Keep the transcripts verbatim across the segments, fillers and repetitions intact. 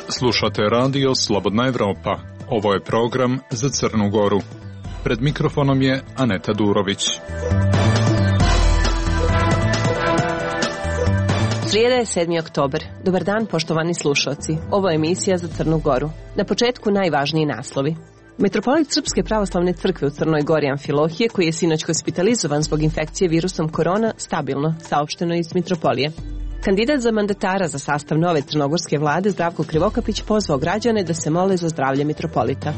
Slušate radio Slobodna Evropa. Ovo je program za Crnu Goru. Pred mikrofonom je Aneta Durović. Srijeda je sedmi oktobar. Dobar dan, poštovani slušalci. Ovo je emisija za Crnu Goru. Na početku najvažniji naslovi. Metropolit Srpske pravoslavne crkve u Crnoj Gori Amfilohije, koji je sinoć hospitalizovan zbog infekcije virusom korona, stabilno, saopšteno iz Mitropolije. Kandidat za mandatara za sastav nove crnogorske vlade Zdravko Krivokapić pozvao građane da se mole za zdravlje mitropolita.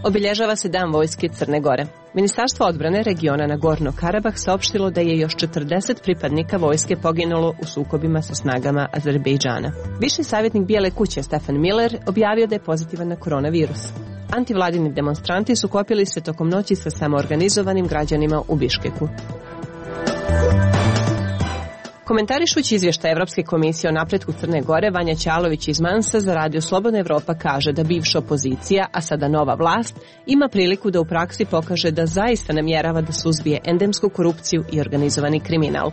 Obilježava se Dan vojske Crne Gore. Ministarstvo odbrane regiona Nagorno Karabah saopštilo da je još četrdeset pripadnika vojske poginulo u sukobima sa snagama Azerbejdžana. Viši savjetnik Bijele kuće Stefan Miller objavio da je pozitivan na koronavirus. Antivladini demonstranti sukobili se tokom noći sa samoorganizovanim građanima u Biškeku. Komentarišući izvještaj Evropske komisije o napretku Crne Gore, Vanja Ćalović iz Mansa za radio Slobodna Evropa kaže da bivša opozicija, a sada nova vlast, ima priliku da u praksi pokaže da zaista namjerava da suzbije endemsku korupciju i organizovani kriminal.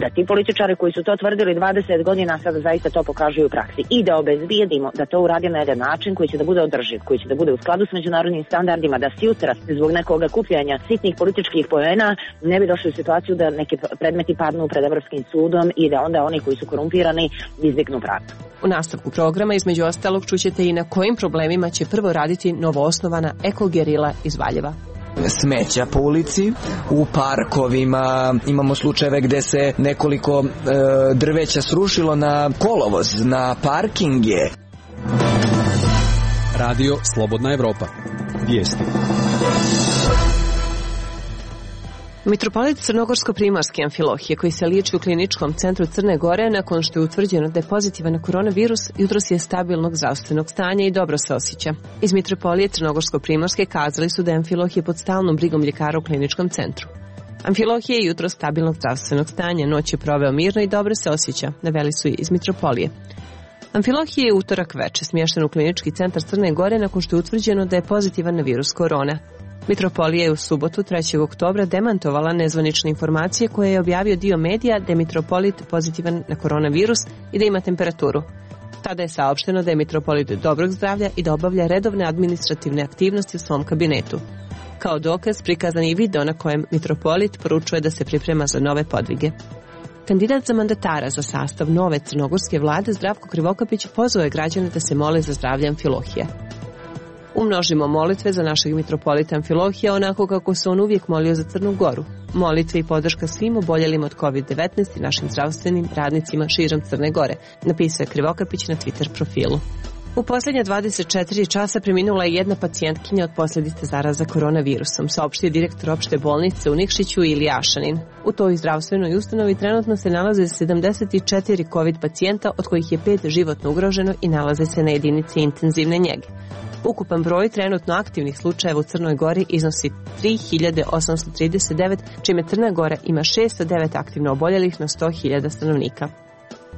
Da ti političari koji su to tvrdili dvadeset godina sada zaista to pokažu u praksi i da obezbijedimo da to uradi na jedan način koji će da bude održiv, koji će da bude u skladu s međunarodnim standardima, da sutra zbog nekog kupljanja sitnih političkih poena ne bi došli u situaciju da neki predmeti padnu pred Evropskim sudom i da onda oni koji su korumpirani izbjegnu pravdu. U nastavku programa između ostalog čućete i na kojim problemima će prvo raditi novoosnovana ekogerila iz Valjeva. Smeća po ulici, u parkovima, imamo slučajeve gde se nekoliko e, drveća srušilo na kolovoz, na parkinge. Radio Slobodna Evropa. Vijesti. Mitropolit Crnogorsko-primorske Amfilohije, koji se liječi u kliničkom centru Crne Gore nakon što je utvrđeno da je pozitivan na koronavirus, jutros je stabilnog zdravstvenog stanja i dobro se osjeća. Iz Mitropolije Crnogorsko-primorske kazali su da je Amfilohije pod stalnom brigom ljekara u kliničkom centru. Amfilohije je jutros stabilnog zdravstvenog stanja, noć je proveo mirno i dobro se osjeća, naveli su iz Mitropolije. Amfilohije je utorak veče smješten u klinički centar Crne Gore nakon što je utvrđeno da je pozitivan na virus korona. Mitropolija je u subotu trećeg oktobra demantovala nezvanične informacije koje je objavio dio medija da je mitropolit pozitivan na koronavirus i da ima temperaturu. Tada je saopšteno da je mitropolit dobrog zdravlja i da obavlja redovne administrativne aktivnosti u svom kabinetu. Kao dokaz prikazan je video na kojem mitropolit poručuje da se priprema za nove podvige. Kandidat za mandatara za sastav nove crnogorske vlade Zdravko Krivokapić pozvao je građane da se mole za zdravlje Amfilohije. Umnožimo molitve za našeg mitropolita Amfilohija onako kako se on uvijek molio za Crnu Goru. Molitve i podrška svim oboljelim od kovid devetnaest i našim zdravstvenim radnicima širom Crne Gore, napisao je Krivokapić na Twitter profilu. U posljednje dvadeset četiri časa preminula je jedna pacijentkinja od posljedice zaraza koronavirusom, saopštio direktor opšte bolnice u Nikšiću Ilija Ašanin. U toj zdravstvenoj ustanovi trenutno se nalaze sedamdeset četiri kovid pacijenta, od kojih je pet životno ugroženo i nalaze se na jedinici intenzivne njege. Ukupan broj trenutno aktivnih slučajeva u Crnoj Gori iznosi tri hiljade osamsto trideset devet, čime Crna Gora ima šesto devet aktivno oboljelih na sto hiljada stanovnika.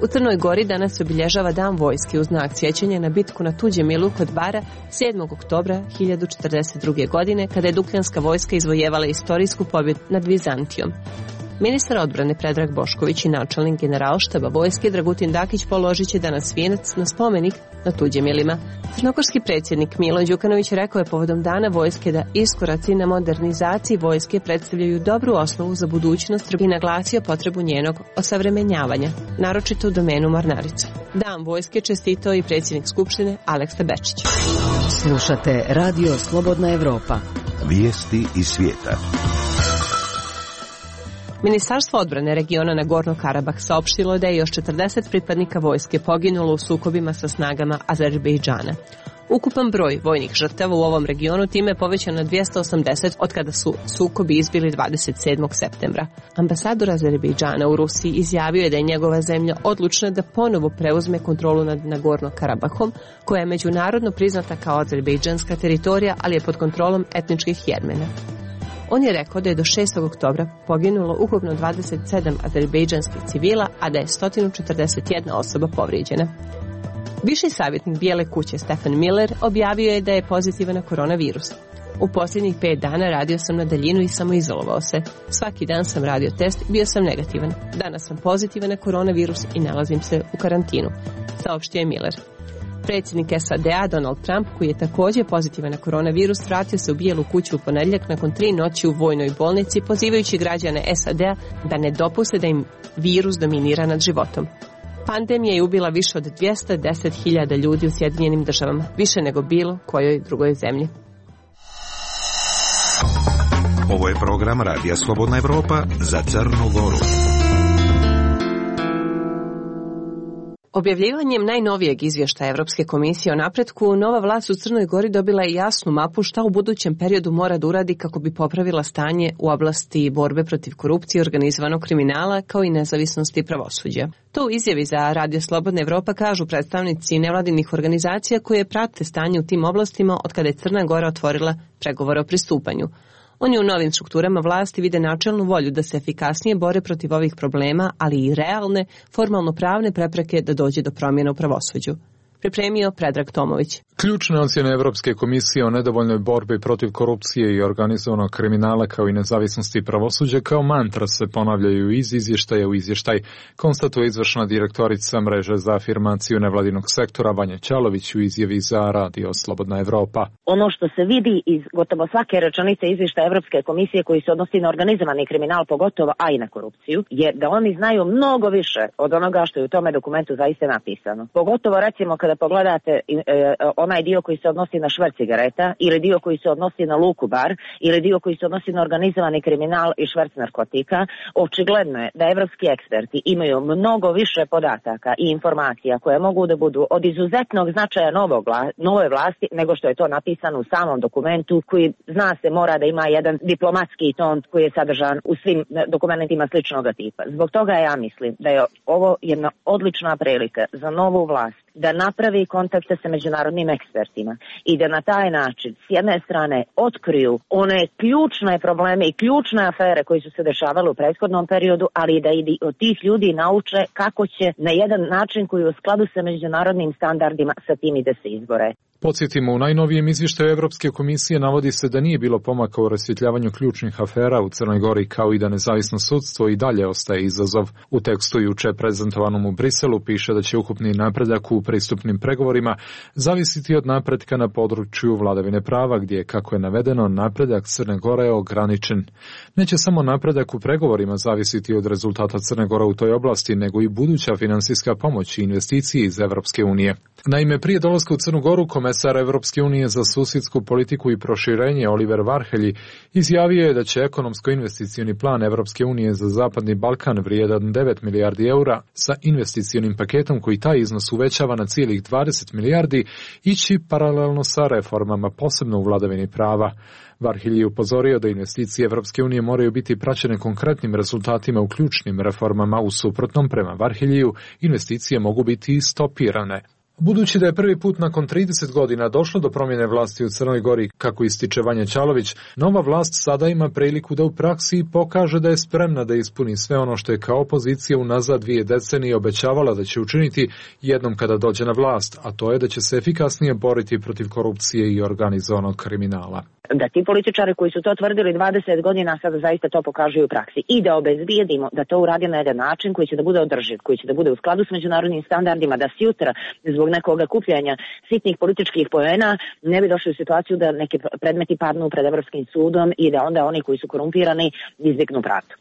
U Crnoj Gori danas se obilježava Dan vojske u znak sjećanja na bitku na Tuđem milu kod Bara sedmog oktobra hiljadu četrdeset druge. godine, kada je Dukljanska vojska izvojevala istorijsku pobjedu nad Vizantijom. Ministar odbrane Predrag Bošković i načelnik generalštaba vojske Dragutin Dakić položit će danas vijenac na spomenik na Tuđemilima. Crnogorski predsjednik Milo Đukanović rekao je povodom Dana vojske da iskoraci na modernizaciji vojske predstavljaju dobru osnovu za budućnost i naglasio potrebu njenog osavremenjavanja, naročito u domenu mornarice. Dan vojske čestitao i predsjednik Skupštine Aleksa Bečić. Slušate Radio Slobodna Evropa. Vijesti iz svijeta. Ministarstvo odbrane regiona Nagorno Karabah saopštilo je da je još četrdeset pripadnika vojske poginulo u sukobima sa snagama Azerbejdžana. Ukupan broj vojnih žrtava u ovom regionu time je povećan na dvjesto osamdeset od kada su sukobi izbili dvadeset sedmog septembra. Ambasador Azerbejdžana u Rusiji izjavio je da je njegova zemlja odlučna da ponovo preuzme kontrolu nad Nagorno Karabahom, koja je međunarodno priznata kao azerbejdžanska teritorija, ali je pod kontrolom etničkih Jermena. On je rekao da je do šestog oktobra poginulo ukupno dvadeset sedam azerbejdžanskih civila, a da je sto četrdeset jedna osoba povrijeđena. Viši savjetnik Bijele kuće Stefan Miller objavio je da je pozitivan na koronavirus. U posljednjih pet dana radio sam na daljinu i samoizolovao se. Svaki dan sam radio test i bio sam negativan. Danas sam pozitivan na koronavirus i nalazim se u karantinu, saopštio je Miller. Predsjednik S A D-a Donald Trump, koji je također pozitivan na koronavirus, vratio se u Bijelu kuću u ponedjeljak nakon tri noći u vojnoj bolnici, pozivajući građane S A D-a da ne dopuste da im virus dominira nad životom. Pandemija je ubila više od dvjesto deset hiljada ljudi u Sjedinjenim državama, više nego bilo kojoj drugoj zemlji. Ovo je program Radija Slobodna Evropa za Crnu Goru. Objavljivanjem najnovijeg izvještaja Evropske komisije o napretku, nova vlast u Crnoj Gori dobila je jasnu mapu šta u budućem periodu mora da uradi kako bi popravila stanje u oblasti borbe protiv korupcije i organizovanog kriminala, kao i nezavisnosti pravosuđa. To u izjavi za Radio Slobodna Evropa kažu predstavnici nevladinih organizacija koje prate stanje u tim oblastima od kada je Crna Gora otvorila pregovore o pristupanju. Oni u novim strukturama vlasti vide načelnu volju da se efikasnije bore protiv ovih problema, ali i realne, formalno-pravne prepreke da dođe do promjena u pravosuđu. Pripremio Predrag Tomović. Ključne ocjene Evropske komisije o nedovoljnoj borbi protiv korupcije i organizovanog kriminala kao i nezavisnosti pravosuđa kao mantra se ponavljaju iz izvještaja u izvještaj, konstatuje izvršna direktorica mreže za afirmaciju nevladinog sektora Vanja Ćalović u izjavi za Radio Slobodna Evropa. Ono što se vidi iz gotovo svake rečenice izvještaja Evropske komisije koji se odnosi na organizovani kriminal pogotovo, a i na korupciju, je da oni znaju mnogo više od onoga što je u tome dokumentu zaista napisano. Pogotovo recimo kada pogledate e, onaj dio koji se odnosi na šverc cigareta ili dio koji se odnosi na luku bar ili dio koji se odnosi na organizovani kriminal i šverc narkotika, očigledno je da evropski eksperti imaju mnogo više podataka i informacija koje mogu da budu od izuzetnog značaja novog, nove vlasti nego što je to napisano u samom dokumentu koji zna se mora da ima jedan diplomatski ton koji je sadržan u svim dokumentima sličnog tipa. Zbog toga ja mislim da je ovo jedna odlična prilika za novu vlast da napravi kontakte sa međunarodnim ekspertima i da na taj način s jedne strane otkriju one ključne probleme i ključne afere koji su se dešavale u prethodnom periodu, ali i da i od tih ljudi nauče kako će na jedan način koji je u skladu sa međunarodnim standardima sa tim i da se izbore. Podsjetimo, u najnovijem izvještaju Evropske komisije navodi se da nije bilo pomaka u rasvjetljavanju ključnih afera u Crnoj Gori, kao i da nezavisno sudstvo i dalje ostaje izazov. U tekstu juče prezentovanom u Briselu piše da će ukupni napredak u pristupnim pregovorima zavisiti od napretka na području vladavine prava, gdje, kako je navedeno, napredak Crne Gore je ograničen. Neće samo napredak u pregovorima zavisiti od rezultata Crne Gore u toj oblasti, nego i buduća finansijska pomoć i investicije iz Evropske unije. Naime, prije dolaska u Crnu Goru, komesar Evropske unije za susjedsku politiku i proširenje Oliver Varhelyi izjavio je da će ekonomsko-investicioni plan Evropske unije za Zapadni Balkan vrijedan devet milijardi eura sa investicionim paketom koji taj iznos uvećava na cijelih dvadeset milijardi ići paralelno sa reformama, posebno u vladavini prava. Varhelyi je upozorio da investicije Evropske unije moraju biti praćene konkretnim rezultatima u ključnim reformama, u suprotnom, prema Varheliju, investicije mogu biti stopirane. Budući da je prvi put nakon trideset godina došlo do promjene vlasti u Crnoj Gori, kako ističe Vanja Ćalović, nova vlast sada ima priliku da u praksi pokaže da je spremna da ispuni sve ono što je kao opozicija unazad dvije decenije obećavala da će učiniti jednom kada dođe na vlast, a to je da će se efikasnije boriti protiv korupcije i organizovanog kriminala. Da ti političari koji su to tvrdili dvadeset godina sada zaista to pokažu u praksi i da obezbijedimo da to uradi na jedan način koji će da bude održiv, koji će da bude u skladu s međunarodnim standardima, da sutra zbog nekog kupljanja sitnih političkih poena ne bi došli u situaciju da neki predmeti padnu pred Evropskim sudom i da onda oni koji su korumpirani izbjegnu pravdu.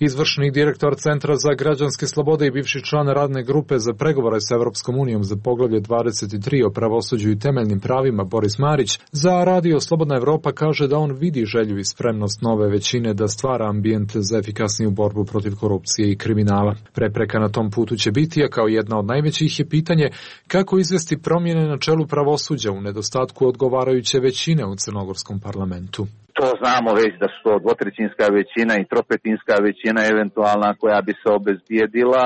Izvršni direktor Centra za građanske slobode i bivši član radne grupe za pregovore s Evropskom unijom za poglavlje dvadeset tri o pravosuđu i temeljnim pravima Boris Marić za Radio Slobodna Evropa kaže da on vidi želju i spremnost nove većine da stvara ambijent za efikasniju borbu protiv korupcije i kriminala. Prepreka na tom putu će biti, a kao jedna od najvećih je pitanje kako izvesti promjene na čelu pravosuđa u nedostatku odgovarajuće većine u crnogorskom parlamentu. To znamo već da su to dvotrećinska većina i tropetinska većina eventualna koja bi se obezbijedila.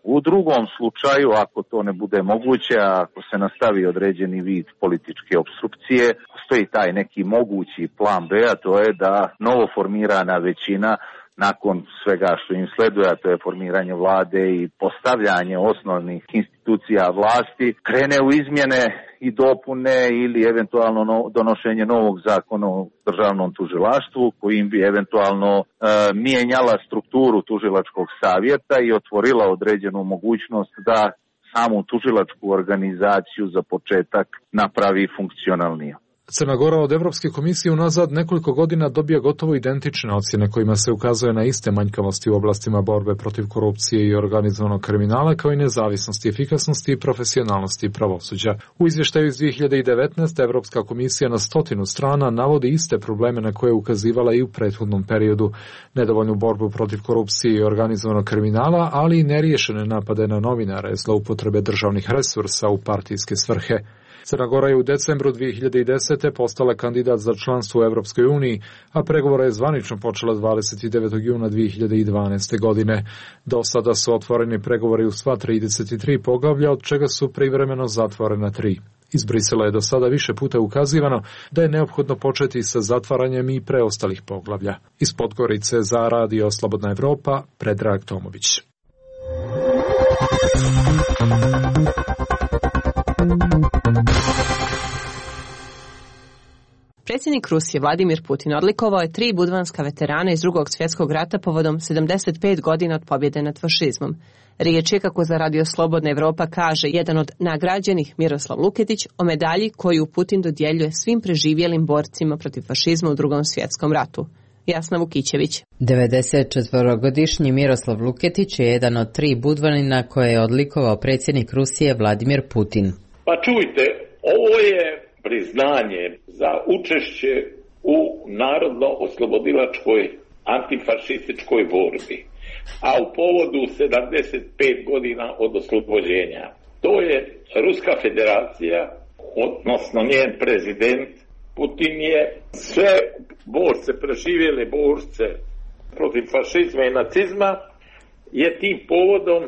U drugom slučaju, ako to ne bude moguće, ako se nastavi određeni vid političke opstrukcije, postoji taj neki mogući plan B, a to je da novoformirana većina nakon svega što im sleduje, a to je formiranje vlade i postavljanje osnovnih institucija vlasti, krene u izmjene i dopune ili eventualno no, donošenje novog zakona o državnom tužilaštvu kojim bi eventualno e, mijenjala strukturu tužilačkog savjeta i otvorila određenu mogućnost da samu tužilačku organizaciju za početak napravi funkcionalniju. Crna Gora od Evropske komisije unazad nekoliko godina dobija gotovo identične ocjene kojima se ukazuje na iste manjkavosti u oblastima borbe protiv korupcije i organizovanog kriminala, kao i nezavisnosti, efikasnosti i profesionalnosti pravosuđa. U izvještaju iz dvije hiljade devetnaeste. Evropska komisija na stotinu strana navodi iste probleme na koje je ukazivala i u prethodnom periodu. Nedovoljnu borbu protiv korupcije i organizovanog kriminala, ali i neriješene napade na novinare, zloupotrebe državnih resursa u partijske svrhe. Crna Gora je u decembru dvije hiljade desete. postala kandidat za članstvo u Evropskoj uniji, a pregovore je zvanično počela dvadeset devetog juna dvije hiljade dvanaeste. godine. Do sada su otvoreni pregovori u sva trideset tri poglavlja, od čega su privremeno zatvorena tri. Iz Brisela je do sada više puta ukazivano da je neophodno početi sa zatvaranjem i preostalih poglavlja. Iz Podgorice za Radio Slobodna Evropa, Predrag Tomović. Predsjednik Rusije Vladimir Putin odlikovao je tri budvanska veterana iz Drugog svjetskog rata povodom sedamdeset pet godina od pobjede nad fašizmom. Riječ je, kako za Radio Slobodna Evropa kaže jedan od nagrađenih, Miroslav Luketić, o medalji koju Putin dodjeljuje svim preživjelim borcima protiv fašizma u Drugom svjetskom ratu. Jasna Vukićević. devedesetčetvorogodišnji Miroslav Luketić je jedan od tri budvanina koje je odlikovao predsjednik Rusije Vladimir Putin. Pa čujte, ovo je priznanje za učešće u narodno-oslobodilačkoj antifašističkoj borbi, a u povodu sedamdeset pet godina od oslobođenja. To je Ruska federacija, odnosno njen prezident Putin, je sve borce, preživjele borce protiv fašizma i nacizma, je tim povodom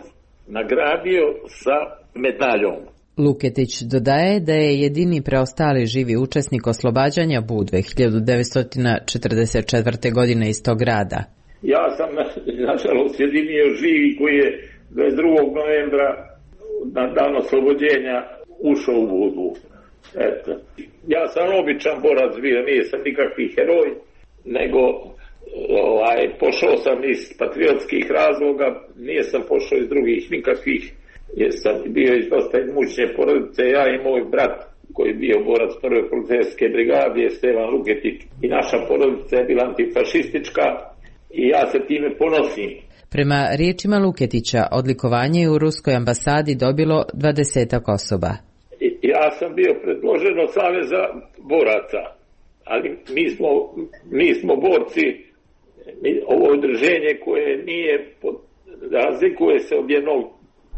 nagradio sa medaljom. Luketić dodaje da je jedini preostali živi učesnik oslobađanja Budve hiljadu devetsto četrdeset četvrte. godine iz tog grada. Ja sam, nažalost, jedini živi koji je dvadeset drugog novembra na dan oslobođenja ušao u Budvu. Eto. Ja sam običan borac bio, nisam nikakvi heroj, nego ovaj, pošao sam iz patriotskih razloga, nisam pošao iz drugih nikakvih, jer sam bio iz dosta imućne porodice, ja i moj brat koji je bio borac prve policijske brigade, Stevan Luketić, i naša porodica je bila antifašistička i ja se time ponosim. Prema riječima Luketića, odlikovanje je u Ruskoj ambasadi dobilo dvadesetak osoba. Ja sam bio predložen od Saveza boraca, ali mi smo, mi smo borci, mi, ovo udruženje koje nije, razlikuje se od jednog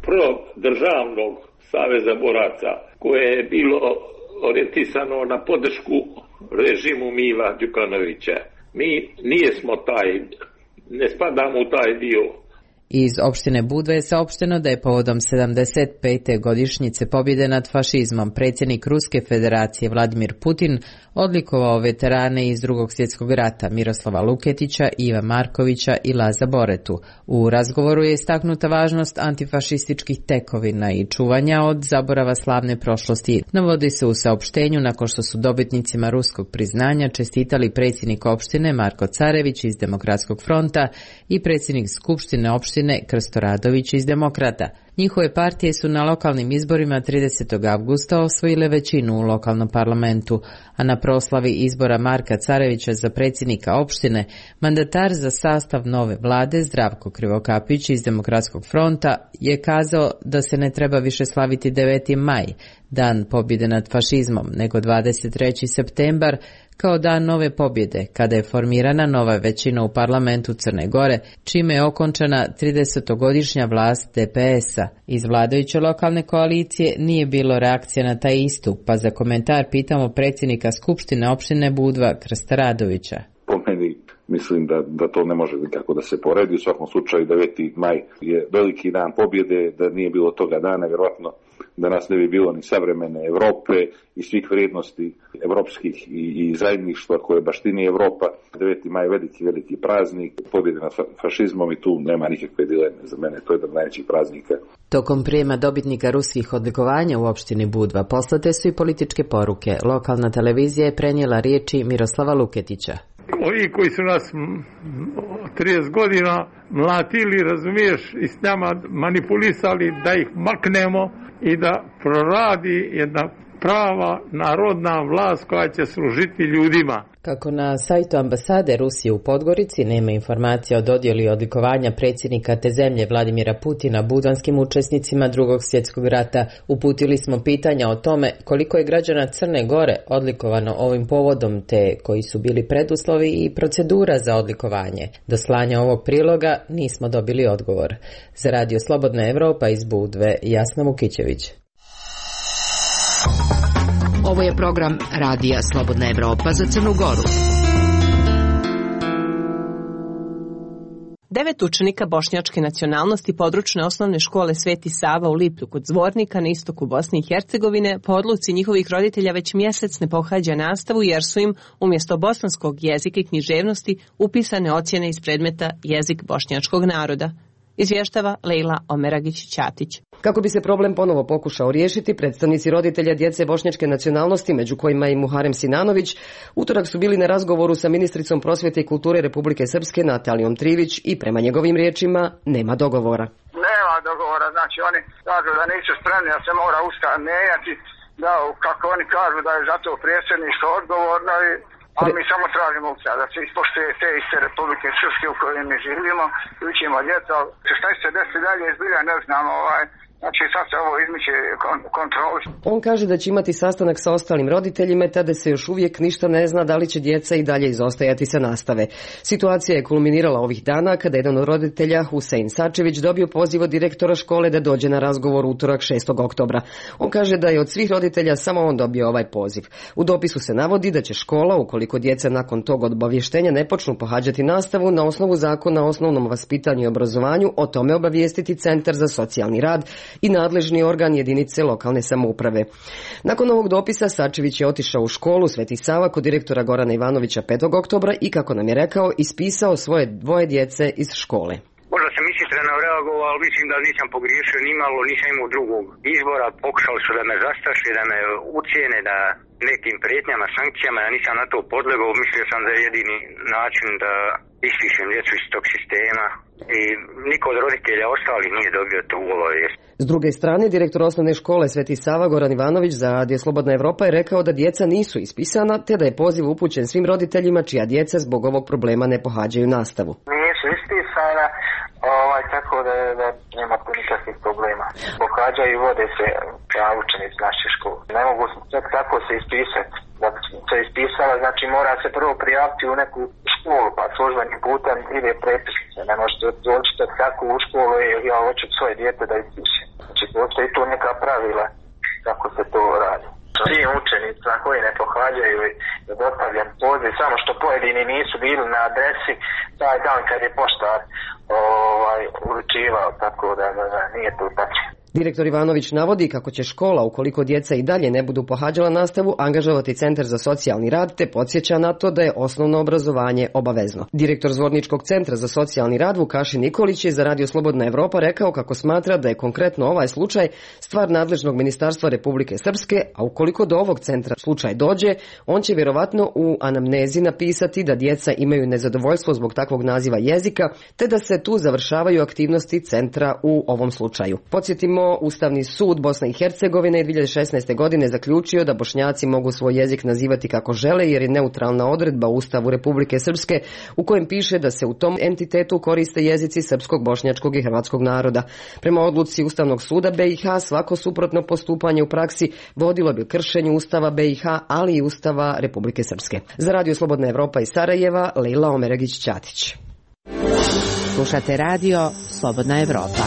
prvog državnog Saveza boraca, koje je bilo orijentisano na podršku režimu Mila Đukanovića. Mi nijesmo taj, ne spadamo u taj dio. Iz opštine Budva je saopšteno da je povodom sedamdeset pete godišnjice pobjede nad fašizmom predsjednik Ruske federacije Vladimir Putin odlikovao veterane iz Drugog svjetskog rata Miroslava Luketića, Iva Markovića i Laza Boretu. U razgovoru je istaknuta važnost antifašističkih tekovina i čuvanja od zaborava slavne prošlosti. Navodi se u saopštenju nakon što su dobitnicima ruskog priznanja čestitali predsjednik opštine Marko Carević iz Demokratskog fronta i predsjednik skupštine opštine Krsto Radović iz Demokrata. Njihove partije su na lokalnim izborima tridesetog avgusta osvojile većinu u lokalnom parlamentu, a na proslavi izbora Marka Carevića za predsjednika opštine, mandatar za sastav nove vlade Zdravko Krivokapić iz Demokratskog fronta je kazao da se ne treba više slaviti deveti maj, dan pobjede nad fašizmom, nego dvadeset treći septembar, kao dan nove pobjede, kada je formirana nova većina u parlamentu Crne Gore, čime je okončana tridesetogodišnja vlast D P S-a. Iz vladajuće lokalne koalicije nije bilo reakcije na taj istup, pa za komentar pitamo predsjednika Skupštine opštine Budva Krsta Radovića. Po meni, mislim da, da to ne može nikako da se poredi. U svakom slučaju deveti maj je veliki dan pobjede, da nije bilo toga dana, vjerojatno da nas ne bi bilo ni savremene Evrope i svih vrijednosti evropskih i, i zajedništva koje baštini Evropa. deveti maj je veliki, veliki praznik, pobjede nad fašizmom i tu nema nikakve dileme. Za mene to je jedan od najvećih praznika. Tokom prijema dobitnika ruskih odlikovanja u opštini Budva poslate su i političke poruke. Lokalna televizija je prenijela riječi Miroslava Luketića. Ovi koji su nas trideset godina mlatili, razumiješ, i s nama manipulisali da ih maknemo i da proradi jedna prava narodna vlast koja će služiti ljudima. Kako na sajtu ambasade Rusije u Podgorici nema informacija o dodjeli odlikovanja predsjednika te zemlje Vladimira Putina budvanskim učesnicima Drugog svjetskog rata, uputili smo pitanja o tome koliko je građana Crne Gore odlikovano ovim povodom te koji su bili preduslovi i procedura za odlikovanje. Do slanja ovog priloga nismo dobili odgovor. Za Radio Slobodna Evropa iz Budve, Jasna Vukićević. Ovo je program Radija Slobodna Evropa za Crnu Goru. Devet učenika bošnjačke nacionalnosti područne osnovne škole Sveti Sava u Liplju kod Zvornika na istoku Bosne i Hercegovine po odluci njihovih roditelja već mjesec ne pohađa nastavu jer su im umjesto bosanskog jezika i književnosti upisane ocjene iz predmeta jezik bošnjačkog naroda. Izvještava Lejla Omeragić-Ćatić. Kako bi se problem ponovo pokušao riješiti, predstavnici roditelja djece bošnjačke nacionalnosti, među kojima i Muharem Sinanović, utorak su bili na razgovoru sa ministricom prosvjete i kulture Republike Srpske Natalijom Trivić i prema njegovim riječima nema dogovora. Nema dogovora, znači oni kažu da nisu spremni, da se mora Ustav mijenjati, da kako oni kažu da je zato predsjedništvo odgovorno i a mi samo tražimo Ustav, da se ispoštuje te iste Republike Srpske u kojoj mi živimo, učimo djeca. Šta će se desiti dalje, izbilja ne znamo, ovaj, znači sad se ovo izmiče kontroli. On kaže da će imati sastanak sa ostalim roditeljima, tada se još uvijek ništa ne zna da li će djeca i dalje izostajati sa nastave. Situacija je kulminirala ovih dana kada jedan od roditelja, Husein Sačević, dobio poziv od direktora škole da dođe na razgovor utorak šestog oktobra. On kaže da je od svih roditelja samo on dobio ovaj poziv. U dopisu se navodi da će škola, ukoliko djeca nakon tog obavještenja ne počnu pohađati nastavu, na osnovu zakona o osnovnom vaspitanju i obrazovanju o tome obavijestiti Centar za socijalni rad i nadležni organ jedinice lokalne samouprave. Nakon ovog dopisa Sačević je otišao u školu Sveti Sava kod direktora Gorana Ivanovića petog oktobra i, kako nam je rekao, ispisao svoje dvoje djece iz škole. Možda sam ishitreno reagovao, ali mislim da nisam pogriješio ni malo, nisam imao drugog izbora. Pokušali su da me zastraše, da me ucijene, da nekim prijetnjama, sankcijama, ja nisam na to podlegao. Mislio sam da je jedini način da ispišem djecu iz tog sistema i niko od roditelja ostalih nije dobio tu obavijest. S druge strane, direktor osnovne škole Sveti Sava Goran Ivanović za Radio Slobodna Evropa je rekao da djeca nisu ispisana, te da je poziv upućen svim roditeljima čija djeca zbog ovog problema ne pohađaju nastavu. Nisu ispisana, ovaj, tako da, da nema tu nikakvih problema. Pohađaju i vode se kao učenici naše škole. Ne mogu čak tako se ispisati. Da se ispisala, znači mora se prvo prijaviti u neku školu, pa službenim putem ide prepisnice. Ne možete doći tako u školu i ja hoću svoje dijete da ispiše. Znači postoji tu neka pravila kako se to radi. Svi učenica koji ne pohađaju je dostavljen poziv, samo što pojedini nisu bili na adresi taj dan kad je poštar ovaj, uručivao, tako da, da, da nije to tačno. Direktor Ivanović navodi kako će škola, ukoliko djeca i dalje ne budu pohađala nastavu, angažovati Centar za socijalni rad, te podsjeća na to da je osnovno obrazovanje obavezno. Direktor Zvorničkog centra za socijalni rad Vukašin Nikolić je za Radio Slobodna Evropa rekao kako smatra da je konkretno ovaj slučaj stvar nadležnog ministarstva Republike Srpske, a ukoliko do ovog centra slučaj dođe, on će vjerovatno u anamnezi napisati da djeca imaju nezadovoljstvo zbog takvog naziva jezika, te da se tu završavaju aktivnosti centra u ovom slučaju. Podsjetimo, Ustavni sud Bosne i Hercegovine dvije hiljade šesnaeste. godine zaključio da Bošnjaci mogu svoj jezik nazivati kako žele jer je neutralna odredba u Ustavu Republike Srpske u kojem piše da se u tom entitetu koriste jezici srpskog, bošnjačkog i hrvatskog naroda. Prema odluci Ustavnog suda B i H svako suprotno postupanje u praksi vodilo bi kršenju Ustava B i H, ali i Ustava Republike Srpske. Za Radio Slobodna Evropa iz Sarajeva, Lejla Omeragić-Ćatić. Slušate Radio Slobodna Evropa.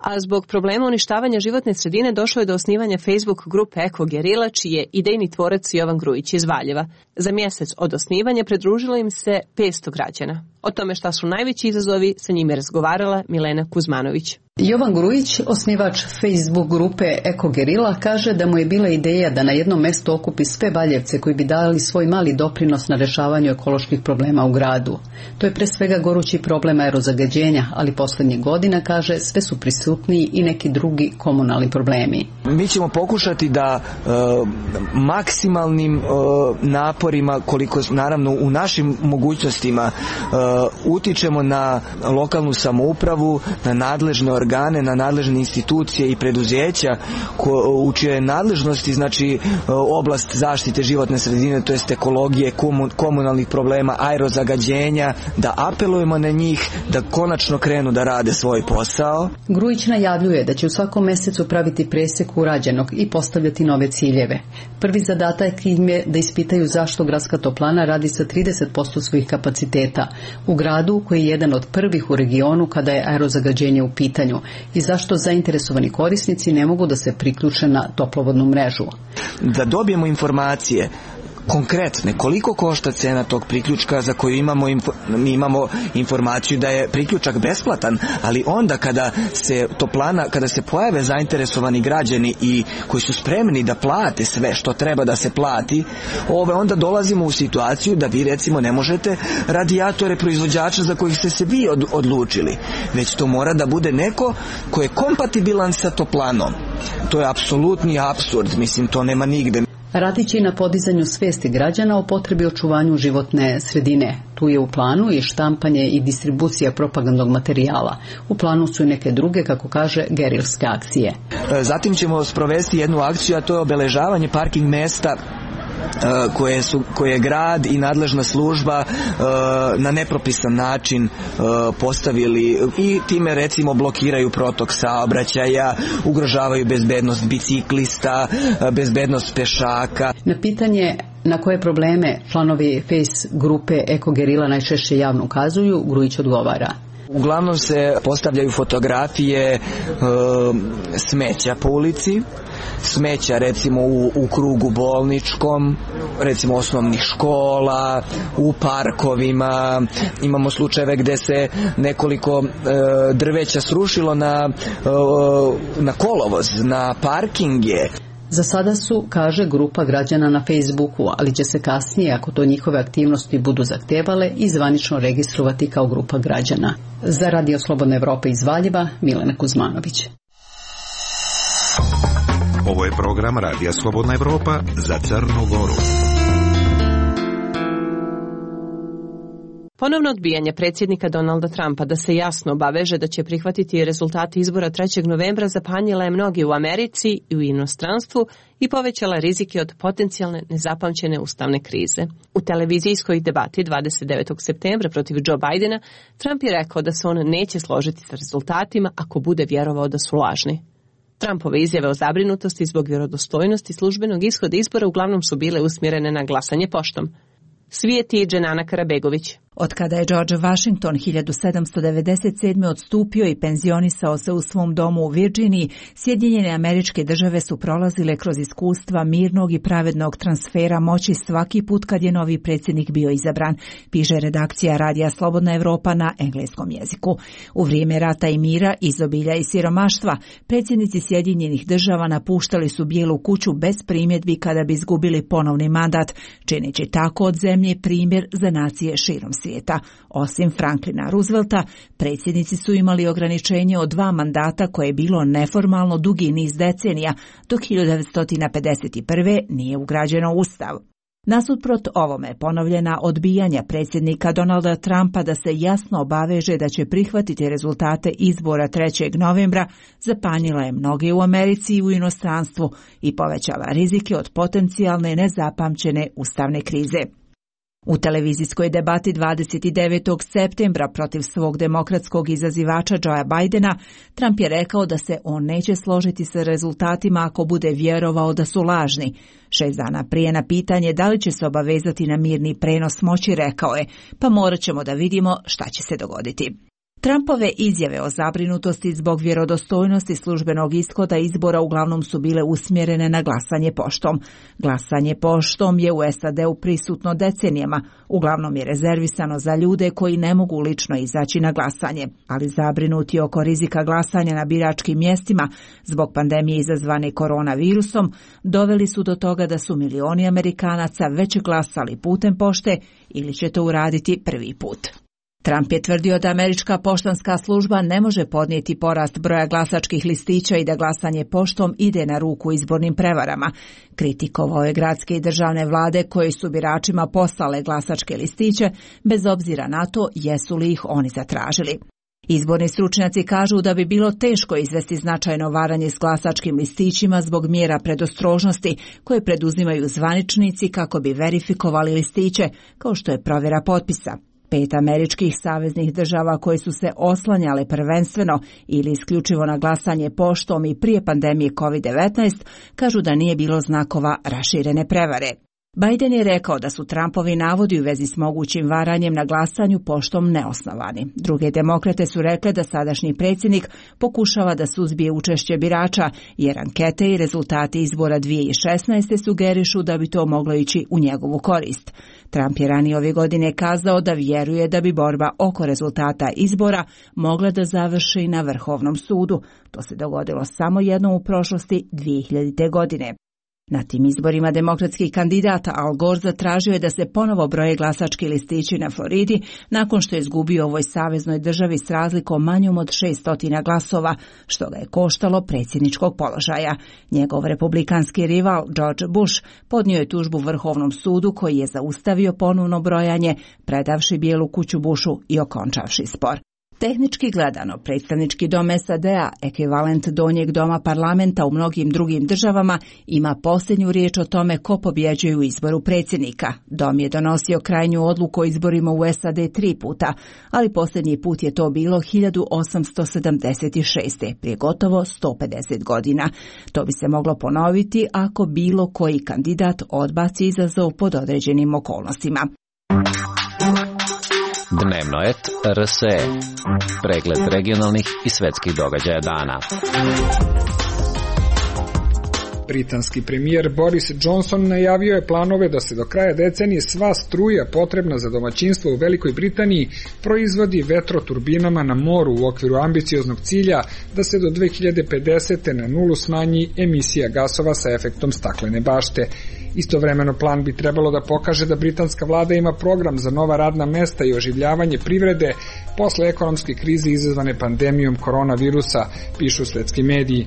A zbog problema uništavanja životne sredine došlo je do osnivanja Facebook grupe Eko Gerila, čiji je idejni tvorac Jovan Grujić iz Valjeva. Za mjesec od osnivanja pridružilo im se petsto građana. O tome šta su najveći izazovi, sa njime razgovarala Milena Kuzmanović. Jovan Grujić, osnivač Facebook grupe Eko Gerila, kaže da mu je bila ideja da na jednom mjestu okupi sve Valjevce koji bi dali svoj mali doprinos na rješavanju ekoloških problema u gradu. To je pre svega gorući problem aerozagađenja, ali posljednjih godina, kaže, sve su prisutniji i neki drugi komunalni problemi. Mi ćemo pokušati da e, maksimalnim e, naporima, koliko naravno u našim mogućnostima, e, utičemo na lokalnu samoupravu, na nadležne organe, na nadležne institucije i preduzeća ko, u čijoj nadležnosti, znači oblast zaštite životne sredine, to jest ekologije, komun, komunalnih problema, aerozagađenja, da apelujemo na njih da konačno krenu da rade svoj posao. Grujić najavljuje da će u svakom mjesecu praviti presjek urađenog i postavljati nove ciljeve. Prvi zadatak im je da ispitaju zašto gradska toplana radi sa trideset posto svojih kapaciteta u gradu koji je jedan od prvih u regionu kada je aerozagađenje u pitanju i zašto zainteresovani korisnici ne mogu da se priključe na toplovodnu mrežu. Da dobijemo informacije konkretne, koliko košta cena tog priključka za koju imamo, info, mi imamo informaciju da je priključak besplatan, ali onda kada se toplana, kada se pojave zainteresovani građani i koji su spremni da plate sve što treba da se plati, ove onda dolazimo u situaciju da vi recimo ne možete radijatore proizvođača za kojih ste se vi od, odlučili, već to mora da bude neko ko je kompatibilan sa toplanom. To je apsolutni apsurd, mislim, to nema nigde. Radit će i na podizanju svijesti građana o potrebi očuvanju životne sredine. Tu je u planu i štampanje i distribucija propagandnog materijala. U planu su i neke druge, kako kaže, gerilske akcije. Zatim ćemo sprovesti jednu akciju, a to je obeležavanje parking mesta koje su koje je grad i nadležna služba na nepropisan način postavili i time recimo blokiraju protok saobraćaja, ugrožavaju bezbednost biciklista, bezbednost pešaka. Na pitanje na koje probleme članovi Face grupe Eko Gerila najčešće javno ukazuju, Grujić odgovara. Uglavnom se postavljaju fotografije e, smeća po ulici, smeća recimo u, u krugu bolničkom, recimo osnovnih škola, u parkovima. Imamo slučajeve gde se nekoliko e, drveća srušilo na, e, na kolovoz, na parkinge. Za sada su, kaže, grupa građana na Facebooku, ali će se kasnije, ako to njihove aktivnosti budu zahtevale, i zvanično registrovati kao grupa građana. Za Radio Slobodna Evropa iz Valjeva, Milena Kuzmanović. Ovo je program Radija Slobodna Evropa za Crnu Goru. Ponovno odbijanje predsjednika Donalda Trumpa da se jasno obaveže da će prihvatiti rezultate izbora trećeg novembra zapanjila je mnogi u Americi i u inostranstvu i povećala rizike od potencijalne nezapamćene ustavne krize. U televizijskoj debati dvadeset devetog septembra protiv Joe Bidena Trump je rekao da se on neće složiti sa rezultatima ako bude vjerovao da su lažni. Trumpove izjave o zabrinutosti zbog vjerodostojnosti službenog ishoda izbora uglavnom su bile usmjerene na glasanje poštom. Svijeti Dženana Karabegović. Od kada je George Washington hiljadu sedamsto devedeset sedme odstupio i penzionisao se u svom domu u Virginiji, Sjedinjene Američke Države su prolazile kroz iskustva mirnog i pravednog transfera moći svaki put kad je novi predsjednik bio izabran, piše redakcija Radija Slobodna Evropa na engleskom jeziku. U vrijeme rata i mira, izobilja i siromaštva, predsjednici Sjedinjenih Država napuštali su Bijelu kuću bez primjedbi kada bi izgubili ponovni mandat, čineći tako od zemlje primjer za nacije širom svijeta. Osim Franklina Roosevelta, predsjednici su imali ograničenje od dva mandata koje je bilo neformalno dugi niz decenija, dok hiljadu devetsto pedeset prve nije ugrađeno u Ustav. Nasuprot ovome ponovljena odbijanja predsjednika Donalda Trumpa da se jasno obaveže da će prihvatiti rezultate izbora trećeg novembra zapanjila je mnoge u Americi i u inostranstvu i povećala rizike od potencijalne nezapamćene ustavne krize. U televizijskoj debati dvadeset devetog septembra protiv svog demokratskog izazivača Joea Bidena, Trump je rekao da se on neće složiti sa rezultatima ako bude vjerovao da su lažni. Šest dana prije na pitanje da li će se obavezati na mirni prenos moći rekao je, pa morat ćemo da vidimo šta će se dogoditi. Trumpove izjave o zabrinutosti zbog vjerodostojnosti službenog ishoda izbora uglavnom su bile usmjerene na glasanje poštom. Glasanje poštom je u S A D-u prisutno decenijama, uglavnom je rezervisano za ljude koji ne mogu lično izaći na glasanje, ali zabrinuti oko rizika glasanja na biračkim mjestima zbog pandemije izazvane koronavirusom doveli su do toga da su milioni Amerikanaca već glasali putem pošte ili će to uraditi prvi put. Trump je tvrdio da američka poštanska služba ne može podnijeti porast broja glasačkih listića i da glasanje poštom ide na ruku izbornim prevarama. Kritikovao je gradske i državne vlade koji su biračima poslale glasačke listiće, bez obzira na to jesu li ih oni zatražili. Izborni stručnjaci kažu da bi bilo teško izvesti značajno varanje s glasačkim listićima zbog mjera predostrožnosti koje preduzimaju zvaničnici kako bi verifikovali listiće, kao što je provjera potpisa. Pet američkih saveznih država koje su se oslanjale prvenstveno ili isključivo na glasanje poštom i prije pandemije kovid devetnaest kažu da nije bilo znakova raširene prevare. Biden je rekao da su Trumpovi navodi u vezi s mogućim varanjem na glasanju poštom neosnovani. Druge demokrate su rekle da sadašnji predsjednik pokušava da suzbije učešće birača, jer ankete i rezultati izbora dvije tisuće šesnaeste. sugerišu da bi to moglo ići u njegovu korist. Trump je ranije ove godine kazao da vjeruje da bi borba oko rezultata izbora mogla da završi na Vrhovnom sudu. To se dogodilo samo jednom u prošlosti dvije hiljadite. godine. Na tim izborima demokratski kandidat Al Gore zatražio je da se ponovo broje glasački listići na Floridi nakon što je izgubio ovoj saveznoj državi s razlikom manjom od šesto glasova, što ga je koštalo predsjedničkog položaja. Njegov republikanski rival George Bush podnio je tužbu Vrhovnom sudu koji je zaustavio ponovno brojanje, predavši Bijelu kuću Bushu i okončavši spor. Tehnički gledano, predstavnički dom S A D-a, ekvivalent donjeg doma parlamenta u mnogim drugim državama, ima posljednju riječ o tome ko pobjeđuje u izboru predsjednika. Dom je donosio krajnju odluku o izborima u S A D tri puta, ali posljednji put je to bilo hiljadu osamsto sedamdeset šeste. prije gotovo sto pedeset godina. To bi se moglo ponoviti ako bilo koji kandidat odbaci izazov pod određenim okolnostima. Dnevnoet R S E. Pregled regionalnih i svjetskih događaja dana. Britanski premijer Boris Johnson najavio je planove da se do kraja decenije sva struja potrebna za domaćinstvo u Velikoj Britaniji proizvodi vetroturbinama na moru u okviru ambicioznog cilja da se do dve hiljade pedesete. na nulu smanji emisija gasova sa efektom staklene bašte. Istovremeno plan bi trebalo da pokaže da britanska vlada ima program za nova radna mesta i oživljavanje privrede posle ekonomske krize izazvane pandemijom koronavirusa, pišu svetski mediji.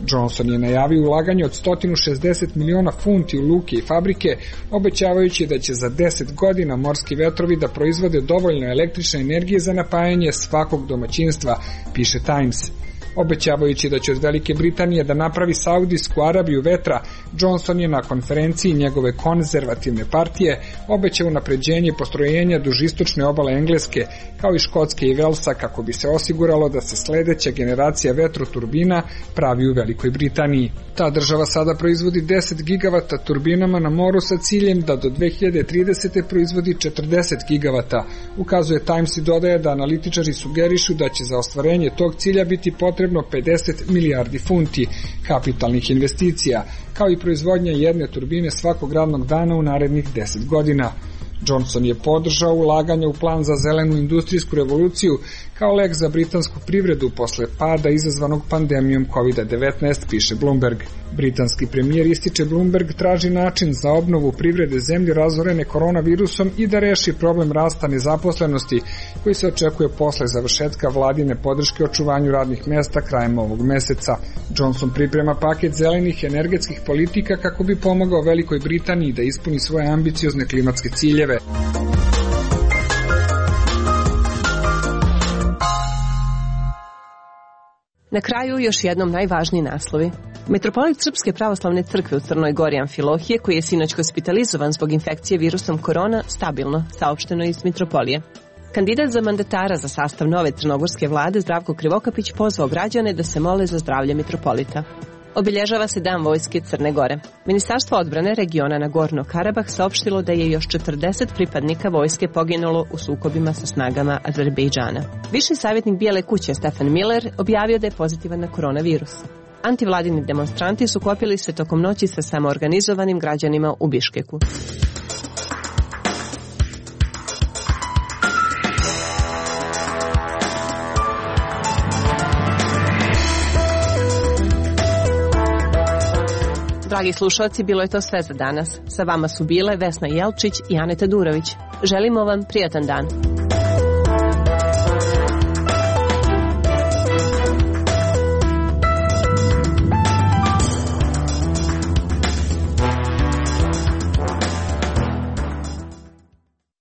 Johnson je najavio ulaganje od sto šezdeset miliona funti u luke i fabrike, obećavajući da će za deset godina morski vetrovi da proizvode dovoljno električne energije za napajanje svakog domaćinstva, piše Times. Obećavajući da će od Velike Britanije da napravi Saudijsku Arabiju vetra, Johnson je na konferenciji njegove konzervativne partije obećao unapređenje postrojenja duž istočne obale Engleske, kao i Škotske i Velsa, kako bi se osiguralo da se sledeća generacija vetroturbina pravi u Velikoj Britaniji. Ta država sada proizvodi deset gigavata turbinama na moru sa ciljem da do dve hiljade tridesete. proizvodi četrdeset gigavata. Ukazuje Times i dodaje da analitičari sugerišu da će za ostvarenje tog cilja biti potrebno pedeset milijardi funti kapitalnih investicija, kao i proizvodnja jedne turbine svakog radnog dana u narednih deset godina. Johnson je podržao ulaganje u plan za zelenu industrijsku revoluciju kao lek za britansku privredu posle pada izazvanog pandemijom kovid devetnaest, piše Bloomberg. Britanski premijer, ističe Bloomberg, traži način za obnovu privrede zemlje razorene koronavirusom i da reši problem rasta nezaposlenosti koji se očekuje posle završetka vladine podrške očuvanju radnih mesta krajem ovog meseca. Johnson priprema paket zelenih energetskih politika kako bi pomogao Velikoj Britaniji da ispuni svoje ambiciozne klimatske ciljeve. Na kraju još jednom najvažniji naslovi. Metropolit Srpske pravoslavne crkve u Crnoj Gori Amfilohije, koji je sinoć hospitalizovan zbog infekcije virusom korona, stabilno, saopšteno iz Mitropolije. Kandidat za mandatara za sastav nove crnogorske vlade Zdravko Krivokapić pozvao građane da se mole za zdravlje mitropolita. Obilježava se Dan vojske Crne Gore. Ministarstvo odbrane regiona Nagorno Karabah saopštilo da je još četrdeset pripadnika vojske poginulo u sukobima sa snagama Azerbejdžana. Viši savjetnik Bijele kuće Stefan Miller objavio da je pozitivan na koronavirus. Antivladini demonstranti sukobili se tokom noći sa samoorganizovanim građanima u Biškeku. Dragi slušalci, bilo je to sve za danas. Sa vama su bile Vesna Jelčić i Aneta Durović. Želimo vam prijatan dan.